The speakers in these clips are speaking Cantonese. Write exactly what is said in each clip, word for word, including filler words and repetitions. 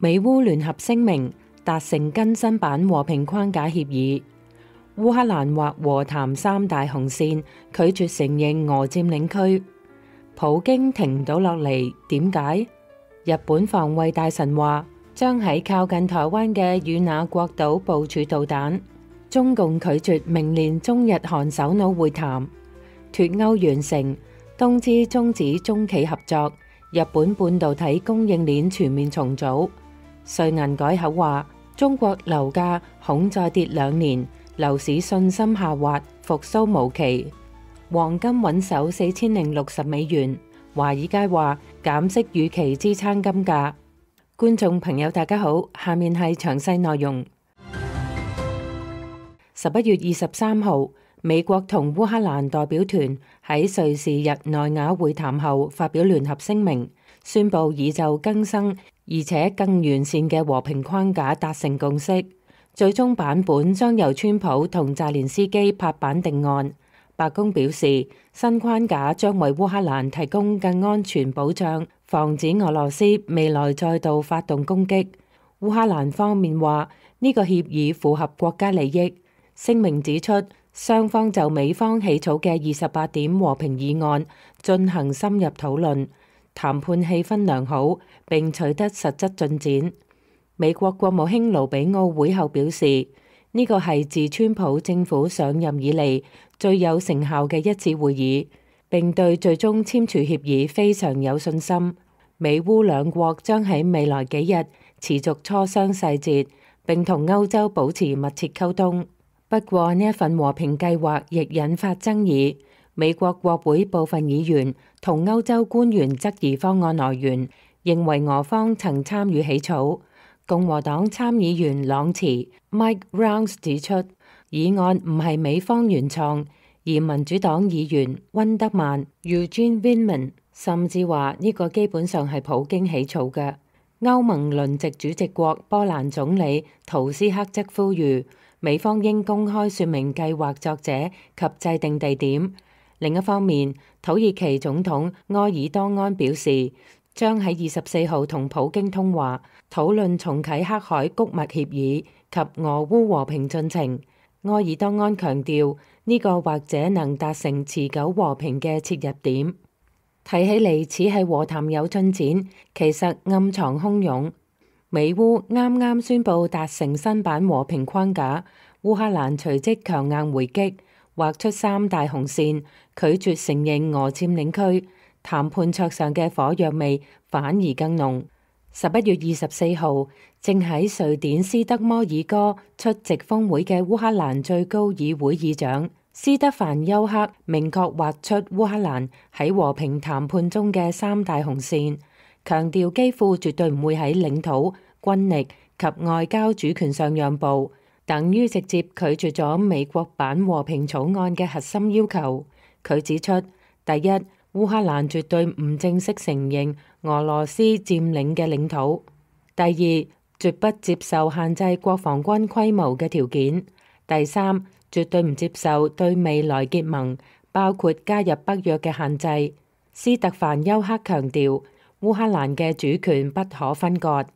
美烏聯合聲明達成更新版和平框架協議。烏克蘭劃和談三大紅線，拒絕承認俄佔領區。普京停唔到落嚟，點解？日本防衛大臣話將喺靠近台灣嘅與那國島部署導彈。中共拒絕明年中日韓首腦會談。脫歐完成，東芝終止中企合作。日本半導體供應鏈全面重組。瑞銀改口話中國樓價恐再跌兩年，樓市信心下滑，復甦無期。黃金穩守四千零六十美元。華爾街話減息預期支撐金價。觀眾朋友大家好，下面係詳細內容。十一月二十三號，美國同烏克蘭代表團喺瑞士日內瓦會談後發表聯合聲明，宣布已就更新而且更完善嘅和平框架達成共識，最終版本將由川普同澤連斯基拍板定案。白宮表示，新框架將為烏克蘭提供更安全保障，防止俄羅斯未來再度發動攻擊。烏克蘭方面話呢個協議符合國家利益。聲明指出，雙方就美方起草嘅二十八點和平議案進行深入討論，談判氣氛良好，並取得實質進展。美國國務卿盧比奧會後表示，呢個係自川普政府上任以嚟最有成效嘅一次會議，並對最終簽署協議非常有信心。美烏兩國將喺未來幾日持續磋商細節，並同歐洲保持密切溝通。不過呢一份和平計劃亦引發爭議，美國國會部分議員同歐洲官員質疑方案來源，認為俄方曾參與起草。共和黨參議員朗茨 Mike Rounds 指出，議案唔係美方原創，而民主黨議員溫德曼 Eugene Weidemann 甚至話呢個基本上係普京起草嘅。歐盟輪值主席國波蘭總理圖斯克則呼籲美方應公開說明計劃作者及制定地點。另一方面，土耳其總統埃爾多安表示，將喺二十四號同普京通話，討論重啟黑海谷物協議及俄烏和平進程。埃爾多安強調，呢個或者能達成持久和平嘅切入點。睇起嚟似係和談有進展，其實暗藏洶湧。美烏啱啱宣布達成新版和平框架，烏克蘭隨即強硬回擊，劃出三大紅線，拒絕承認俄佔領區。談判桌上嘅火藥味反而更濃。十一月二十四號，正喺瑞典斯德摩爾哥出席峰會嘅烏克蘭最高議會議長斯德凡丘克明確劃出烏克蘭喺和平談判中嘅三大紅線，強調基輔絕對唔會喺領土、軍力及外交主權上讓步，等於直接拒絕咗美國版和平草案嘅核心要求。佢指出，第一，烏克蘭絕對唔正式承認俄羅斯佔領嘅領土；第二，絕不接受限制國防軍規模嘅條件；第三，絕對唔接受對未來結盟，包括加入北約嘅限制。斯特凡丘克強調，烏克蘭嘅主權不可分割。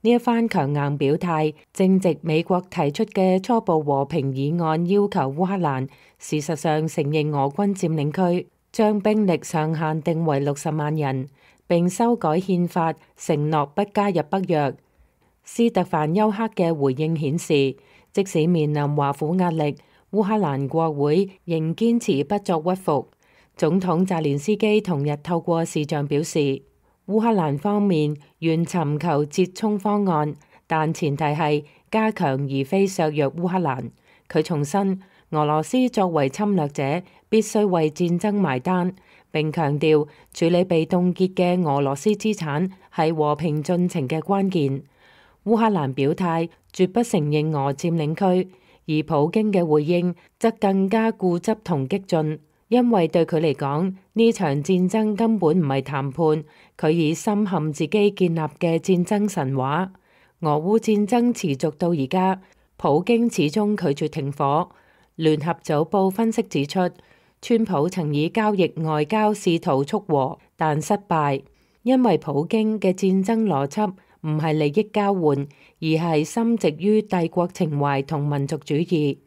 呢一番強硬表態，正值美國提出嘅初步和平議案要求烏克蘭事實上承認俄軍佔領區，將兵力上限定為六十萬人，並修改憲法，承諾不加入北約。斯特凡丘克嘅回應顯示，即使面臨華府壓力，烏克蘭國會仍堅持不作屈服。總統澤連斯基同日透過視像表示，烏克蘭方面願尋求折衝方案，但前提係加強而非削弱烏克蘭。佢重申，俄羅斯作為侵略者，必須為戰爭埋單，並強調處理被凍結嘅俄羅斯資產係和平進程嘅關鍵。烏克蘭表態絕不承認俄佔領區，而普京嘅回應則更加固執同激進，因為對佢嚟講，呢場戰爭根本唔係談判，佢已深陷自己建立嘅戰爭神話。俄烏戰爭持續到而家，普京始終拒絕停火。聯合早報分析指出，川普曾以交易外交試圖促和，但失敗，因為普京嘅戰爭邏輯唔係利益交換，而係深植於帝國情懷同民族主義。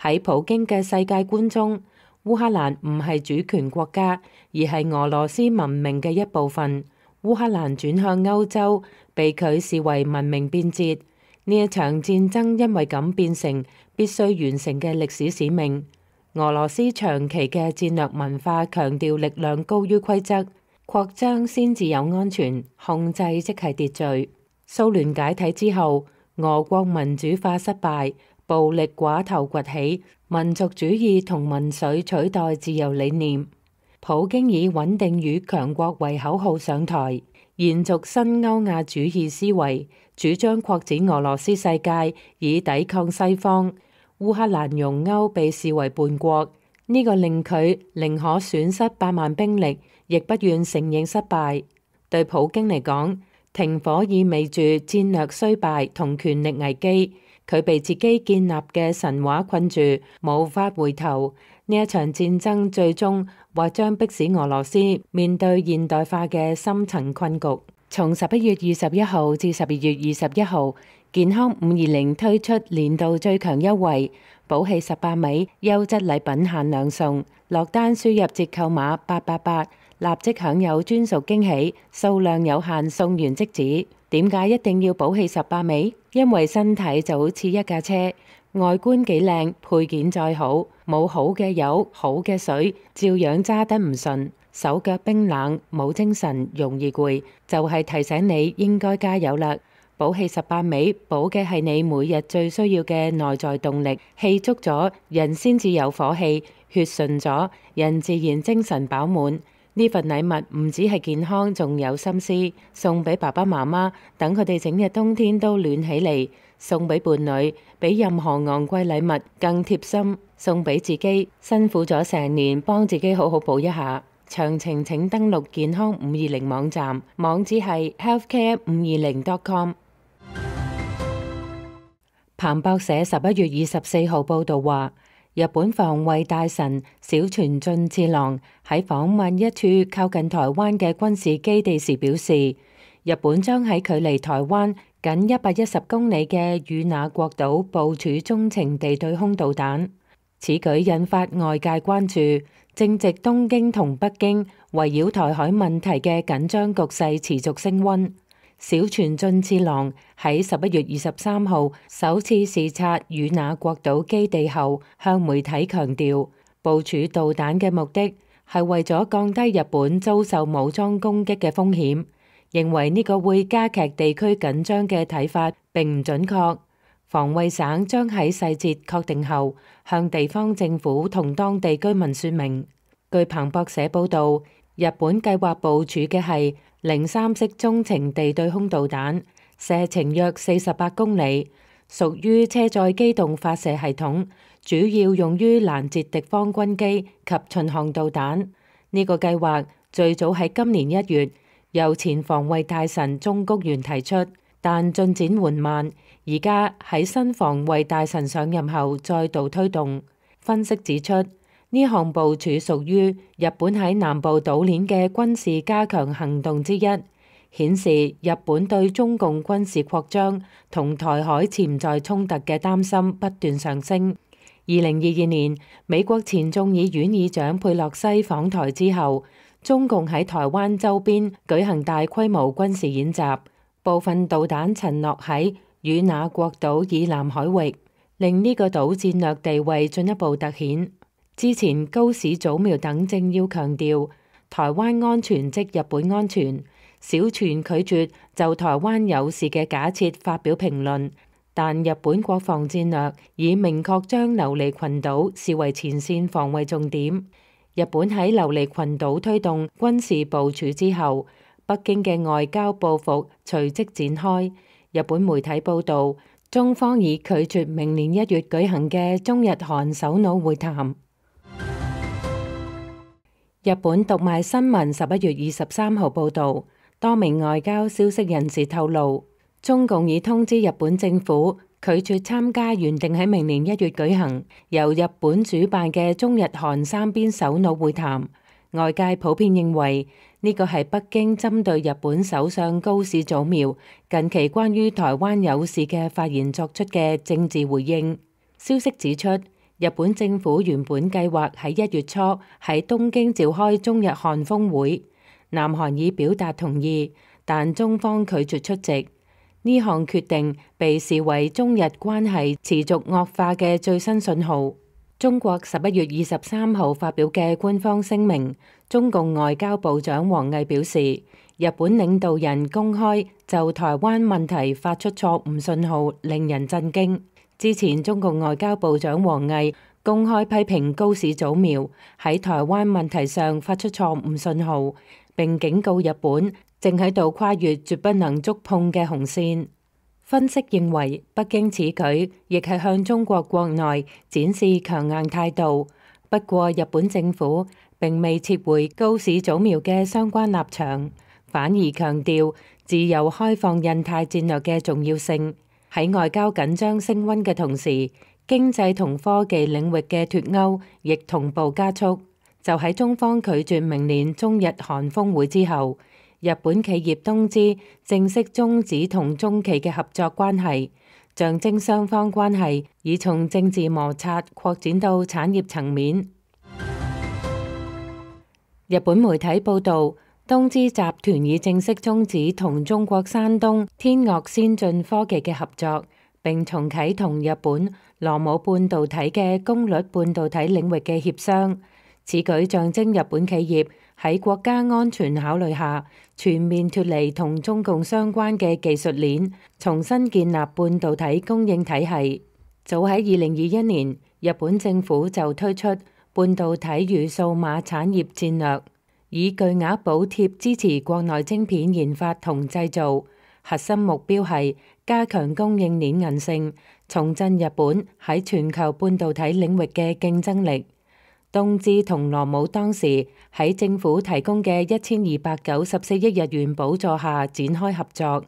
喺普京嘅世界觀中，烏克蘭唔係主權國家，而係俄羅斯文明嘅一部分。烏克蘭轉向歐洲，被佢視為文明變節。呢一場戰爭因為咁變成必須完成嘅歷史使命。俄羅斯長期嘅戰略文化強調力量高於規則，擴張先至有安全，控制即係秩序。蘇聯解體之後，俄國民主化失敗，暴力寡頭崛起，民族主義同民粹取代自由理念。普京以穩定與強國為口號上台，延續新歐亞主義思維，主張擴展俄羅斯世界以抵抗西方。烏克蘭容歐被視為叛國，呢、這個令佢寧可損失百萬兵力，亦不願承認失敗。對普京嚟講，停火意味住戰略衰敗同權力危機，佢被自己建立嘅神話困住，無法回頭。呢一場戰爭最終或將迫使俄羅斯面對現代化嘅深層困局。從十一月二十一號至十二月二十一號，健康五二零推出年度最強優惠，寶氣十八米優質禮品限量送，落單輸入折扣碼八八八，立即享有專屬驚喜，數量有限，送完即止。點解一定要寶氣十八米？因為身體就好似一架車，外觀幾靚，配件再好，冇好嘅油、好嘅水，照樣揸得唔順，手腳冰冷，冇精神，容易攰，就係提醒你應該加油啦。寶氣十八米，補嘅係你每日最需要嘅內在動力，氣足咗，人先至有火氣，血順咗，人自然精神飽滿。呢份禮物唔止係健康，仲有心思，送俾爸爸媽媽，等佢哋整日冬天都暖起嚟；送俾伴侶，比任何昂貴禮物更貼心；送俾自己，辛苦咗成年，幫自己好好補一下。詳情請登錄健康五二零網站，網址係 healthcare 五二零 dot com。彭博社十一月二十四號報道話，日本防衛大臣小泉進次郎喺訪問一處靠近台灣嘅軍事基地時表示，日本將喺距離台灣僅一百一十公里嘅與那國島部署中程地對空導彈。此舉引發外界關注，正值東京同北京圍繞台海問題嘅緊張局勢持續升溫。小泉進次郎喺十一月二十三號首次視察與那國島基地後，向媒體強調，部署導彈嘅目的係為咗降低日本遭受武裝攻擊嘅風險，認為呢個會加劇地區緊張嘅睇法並唔準確。防衛省將喺細節確定後，向地方政府同當地居民說明。據彭博社報道，日本計劃部署嘅係零三式中程地對空導彈，射程約四十八公里，屬於車載機動發射系統，主要用於攔截敵方軍機及巡航導彈。呢個計劃最早喺今年一月由前防衛大臣中谷元提出，但進展緩慢，而家喺新防衛大臣上任後再度推動。分析指出，呢項部署屬於日本喺南部島鏈嘅軍事加強行動之一，顯示日本對中共軍事擴張同台海潛在衝突嘅擔心不斷上升。二零二二年，美國前眾議院議長佩洛西訪台之後，中共喺台灣周邊舉行大規模軍事演習，部分導彈沉落喺與那國島以南海域，令呢個島戰略地位進一步凸顯。之前高市早苗等政要強調台灣安全即日本安全，小泉拒絕就台灣有事嘅假設發表評論，但日本國防戰略已明確將琉璃群島視為前線防衛重點。日本喺琉璃群島推動軍事部署之後，北京嘅外交報復隨即展開。日本媒體報道，中方已拒絕明年一月舉行嘅中日韓首腦會談。日本讀賣新聞十一月二十三號報道，多名外交消息人士透露，中共已通知日本政府拒絕參加原定喺明年一月舉行由日本主辦嘅中日韓三邊首腦會談。外界普遍認為呢個係北京針對日本首相高市早苗近期關於台灣有事嘅發言作出嘅政治回應。消息指出，日本政府原本計劃喺一月初喺東京召開中日韓峰會，南韓已表達同意，但中方拒絕出席。呢項決定被視為中日關係持續惡化嘅最新信號。中國十一月二十三號發表嘅官方聲明，中共外交部長王毅表示，日本領導人公開就台灣問題發出錯誤信號，令人震驚。之前中共外交部長王毅公開批評高市早苗喺台灣問題上發出錯誤信號，並警告日本正喺度跨越絕不能觸碰嘅紅線。分析認為，北京此舉亦係向中國國內展示強硬態度。不過，日本政府並未撤回高市早苗嘅相關立場，反而強調自由開放印太戰略嘅重要性。喺外交緊張升溫嘅同時，經濟同科技領域嘅脫鈎亦同步加速。就喺中方拒絕明年中日韓峰會之後，日本企業東芝正式終止同中企嘅合作關係，象徵雙方關係已從政治摩擦擴展到產業層面。日本媒體報導，東芝集團已正式終止同中國山東天岳先進科技嘅合作，並重啟同日本羅姆半導體嘅功率半導體領域嘅協商。此舉象徵日本企業喺國家安全考慮下，全面脫離同中共相關嘅技術鏈，重新建立半導體供應體系。早喺二零二一年，日本政府就推出半導體與數碼產業戰略，以巨額補貼支持國內晶片研發同製造，核心目標係加強供應鏈韌性，重振日本喺全球半導體領域嘅競爭力。東芝同羅姆當時喺政府提供嘅一千二百九十四億日元補助下展開合作。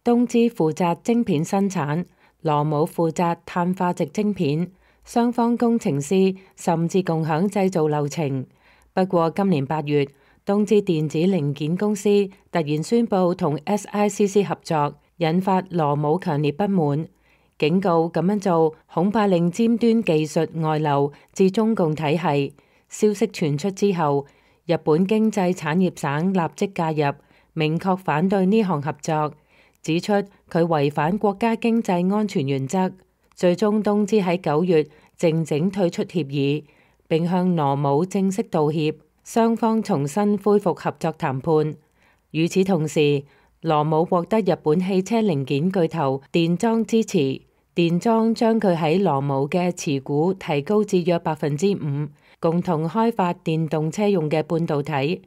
東芝負責晶片生產，羅姆負責碳化矽晶片，雙方工程師甚至共享製造流程。不過今年八月，東芝電子零件公司突然宣布同 S I C C 合作，引發羅姆強烈不滿，警告咁樣做恐怕令尖端技術外流至中共體系。消息傳出之後，日本經濟產業省立即介入，明確反對呢項合作，指出佢違反國家經濟安全原則。最終東芝喺九月靜靜退出協議，並向羅姆正式道歉，雙方重新恢復合作談判。與此同時，羅姆獲得日本汽車零件巨頭電裝支持，電裝將佢喺羅姆嘅持股提高至約百分之五，共同開發電動車用嘅半導體。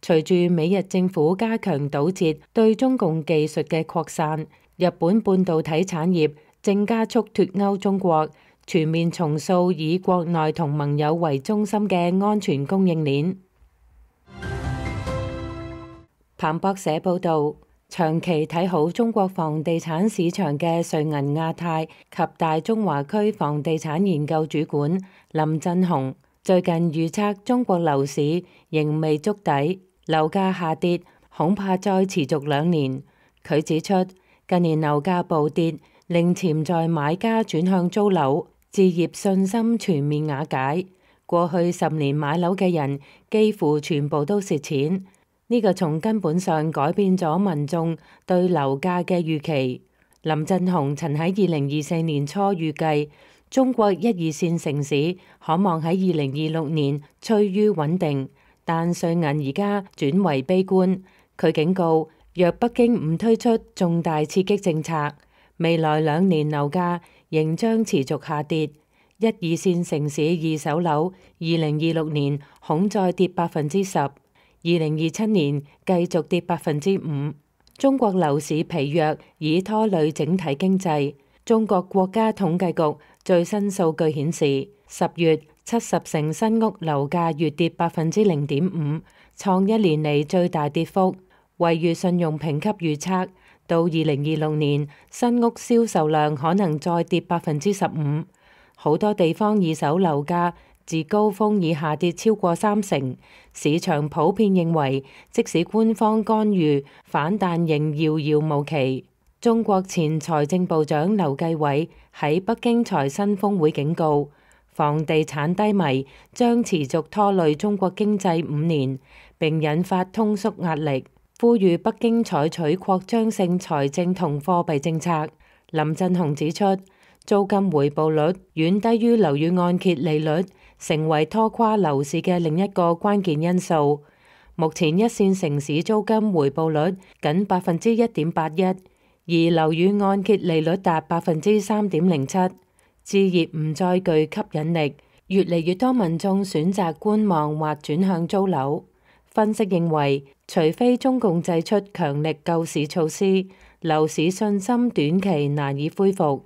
隨住美日政府加強堵截對中共技術嘅擴散，日本半導體產業正加速脫鈎中國，全面重塑以國內同盟友為中心嘅安全供應鏈。彭博社報導，長期睇好中國房地產市場嘅瑞銀亞太及大中華區房地產研究主管林振雄最近預測中國樓市仍未觸底，樓價下跌恐怕再持續兩年。佢指出，近年樓價暴跌令潛在買家轉向租樓，置業信心全面瓦解。過去十年買樓嘅人幾乎全部都蝕錢，呢個從根本上改變咗民眾對樓價嘅預期。林振雄曾喺二零二四年初預計，中國一二線城市可望喺二零二六年趨於穩定，但瑞銀而家轉為悲觀。佢警告，若北京唔推出重大刺激政策，未來兩年樓價仍將持續下跌。一二線城市二手樓二零二六年恐再跌百分之十，二零二七年繼續跌百分之五。中國樓市疲弱已拖累整體經濟。中國國家統計局最新數據顯示，十月七十城新屋樓價月跌百分之零點五，創一年嚟最大跌幅。惠譽信用評級預測，到二零二六年新屋銷售量可能再跌百分之十五。好多地方二手樓價自高峰已下跌超過三成。市場普遍認為，即使官方干預，反彈仍遙遙無期。中國前財政部長劉繼偉喺北京財新峰會警告，房地產低迷將持續拖累中國經濟五年，並引發通縮壓力，呼籲北京採取擴張性財政同貨幣政策。林振雄指出，租金回報率遠低於樓宇按揭利率，成為拖垮樓市嘅另一個關鍵因素。目前一線城市租金回報率僅百分之一點八一，而樓宇按揭利率達百分之三點零七。置業唔再具吸引力，越嚟越多民眾選擇觀望或轉向租樓。分析認為，除非中共祭出強力救市措施，樓市信心短期難以恢復。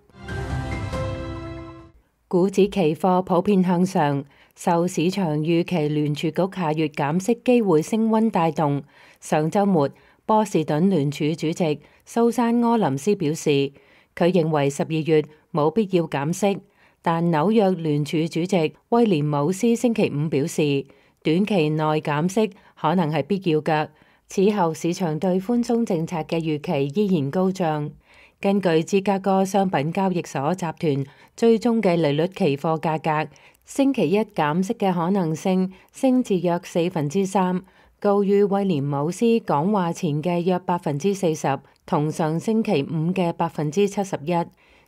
股指期貨普遍向上，受市場預期聯儲局下月減息機會升溫帶動。上週末，波士頓聯儲主席蘇珊柯林斯表示，佢認為十二月冇必要減息，但紐約聯儲主席威廉姆斯星期五表示，短期內減息可能係必要嘅。此後市場對寬鬆政策嘅預期依然高漲。根據芝加哥商品交易所集團追蹤嘅利率期貨價格，星期一減息嘅可能性升至約四分之三，高於威廉姆斯講話前嘅約百分之四十，同上星期五嘅百分之七十一。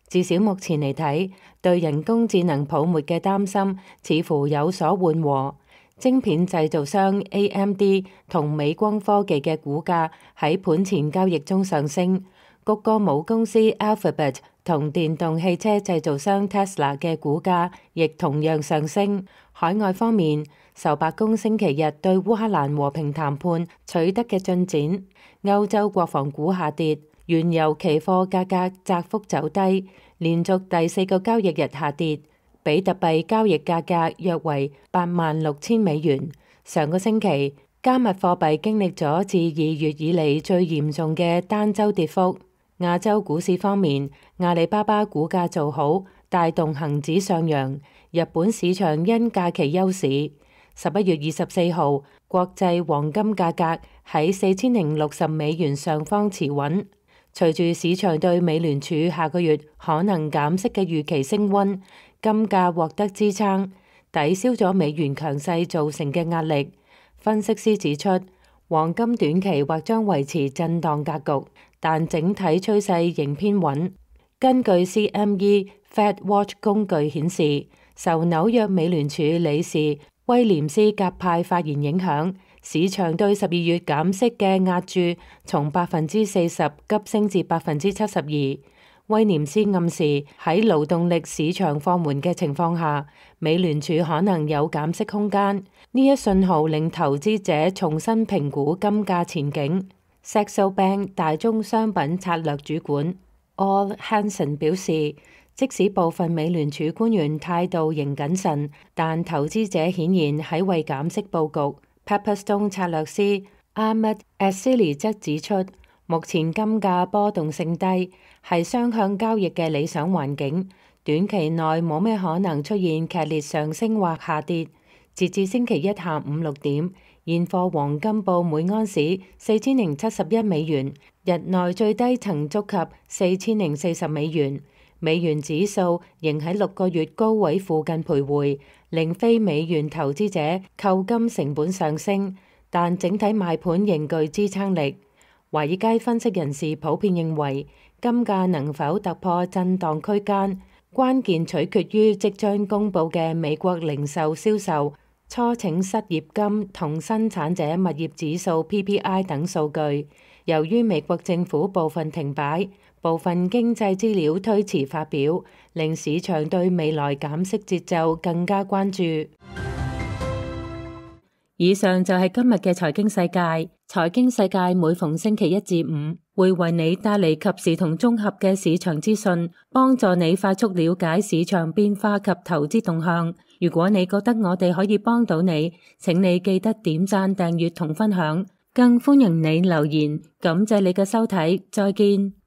至少目前嚟睇，對人工智能泡沫嘅擔心似乎有所緩和。晶片製造商 A M D 同美光科技嘅股價喺盤前交易中上升，谷歌母公司 Alphabet 同電動汽車製造商 Tesla 嘅股價亦同樣上升。海外方面，受白宮星期日對烏克蘭和平談判取得嘅進展，歐洲國防股下跌，原油期貨價格窄幅走低，連續第四個交易日下跌。比特幣交易價格約為八萬六千美元。上個星期，加密貨幣經歷咗自二月以嚟最嚴重嘅單週跌幅。亞洲股市方面，阿里巴巴股價做好，帶動恒指上揚。日本市場因假期休市。十一月二十四號，國際黃金價格喺四千零六十美元上方持穩。隨住市場對美聯儲下個月可能減息嘅預期升溫，金價獲得支撐，抵消咗美元強勢造成嘅壓力。分析師指出，黃金短期或將維持震盪格局，但整體趨勢仍偏穩。根據 C M E Fed Watch 工具顯示，受紐約美聯儲理事威廉斯鴿派發言影響，市場對十二月減息嘅押注從百分之四十急升至百分之七十二。威廉斯暗示喺勞動力市場放緩嘅情況下，美聯儲可能有減息空間。呢一信號令投資者重新評估金價前景。Saxo Bank 大宗商品策略主管 Al Hansen 表示，即使部分美聯儲官員態度仍謹慎，但投資者顯然喺為減息佈局。Pepperstone 策略師 Ahmed Asili 則指出，目前金價波動性低，係雙向交易嘅理想環境，短期內冇咩可能出現劇烈上升或下跌。截至星期一下午六點，現貨黃金報每安士四千零七十一美元，日內最低曾觸及四千零四十美元。美元指數仍喺六個月高位附近徘徊，令非美元投資者購金成本上升，但整體賣盤仍具支撐力。華爾街分析人士普遍認為，金價能否突破震盪區間，關鍵取決於即將公佈嘅美國零售銷售、初請失業金同生產者物業指數 P P I 等數據。由於美國政府部分停擺，部分經濟資料推遲發表，令市場對未來減息節奏更加關注。以上就係今日嘅財經世界。財經世界每逢星期一至五會為你帶嚟及時同綜合嘅市場資訊，幫助你快速了解市場變化及投資動向。如果你覺得我哋可以幫到你，請你記得點讚、訂閱同分享，更歡迎你留言。感謝你嘅收睇，再見。